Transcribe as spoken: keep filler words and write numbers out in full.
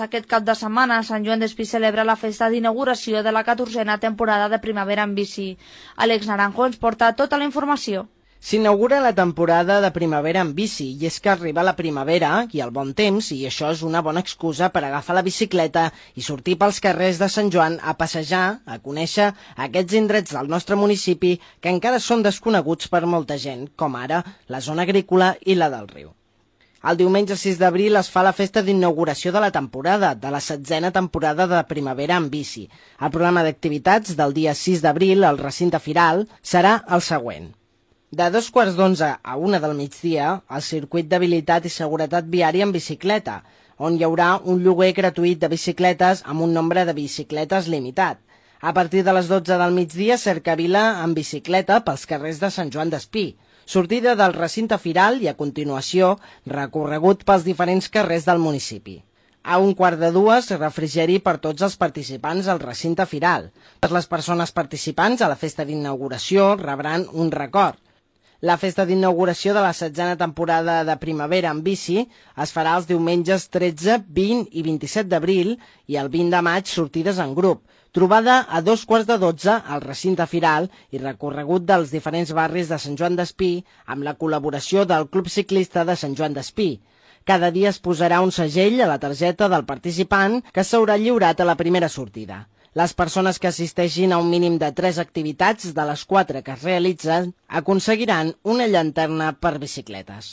Aquest cap de setmana, Sant Joan d'Espí celebra la festa d'inauguració de la catorzena temporada de primavera en bici. Àlex Naranjo ens porta tota la informació. S'inaugura la temporada de primavera en bici i és que arriba la primavera i el bon temps i això és una bona excusa per agafar la bicicleta i sortir pels carrers de Sant Joan a passejar, a conèixer aquests indrets del nostre municipi que encara són desconeguts per molta gent, com ara la zona agrícola i la del riu. El diumenge sis d'abril es fa la festa d'inauguració de la temporada, de la setzena temporada de primavera en bici. El programa d'activitats del dia sis d'abril al recinte firal serà el següent. De dos quarts d'onze a una del migdia, el circuit d'habilitat i seguretat viària en bicicleta, on hi haurà un lloguer gratuït de bicicletes amb un nombre de bicicletes limitat. A partir de les dotze del migdia, cercavila en bicicleta pels carrers de Sant Joan d'Espí. Sortida del recinte firal i, a continuació, recorregut pels diferents carrers del municipi. A un quart de dues, refrigeri per tots els participants al recinte firal. Totes les persones participants a la festa d'inauguració rebran un record. La festa d'inauguració de la setzena temporada de primavera en bici es farà els diumenges tretze, vint i vint-i-set d'abril i el vint de maig sortides en grup, trobada a dos quarts de dotze al recinte firal i recorregut dels diferents barris de Sant Joan d'Espí amb la col·laboració del Club Ciclista de Sant Joan d'Espí. Cada dia es posarà un segell a la targeta del participant que s'haurà lliurat a la primera sortida. Les persones que assisteixin a un mínim de tres activitats de les quatre que es realitzen aconseguiran una llanterna per bicicletes.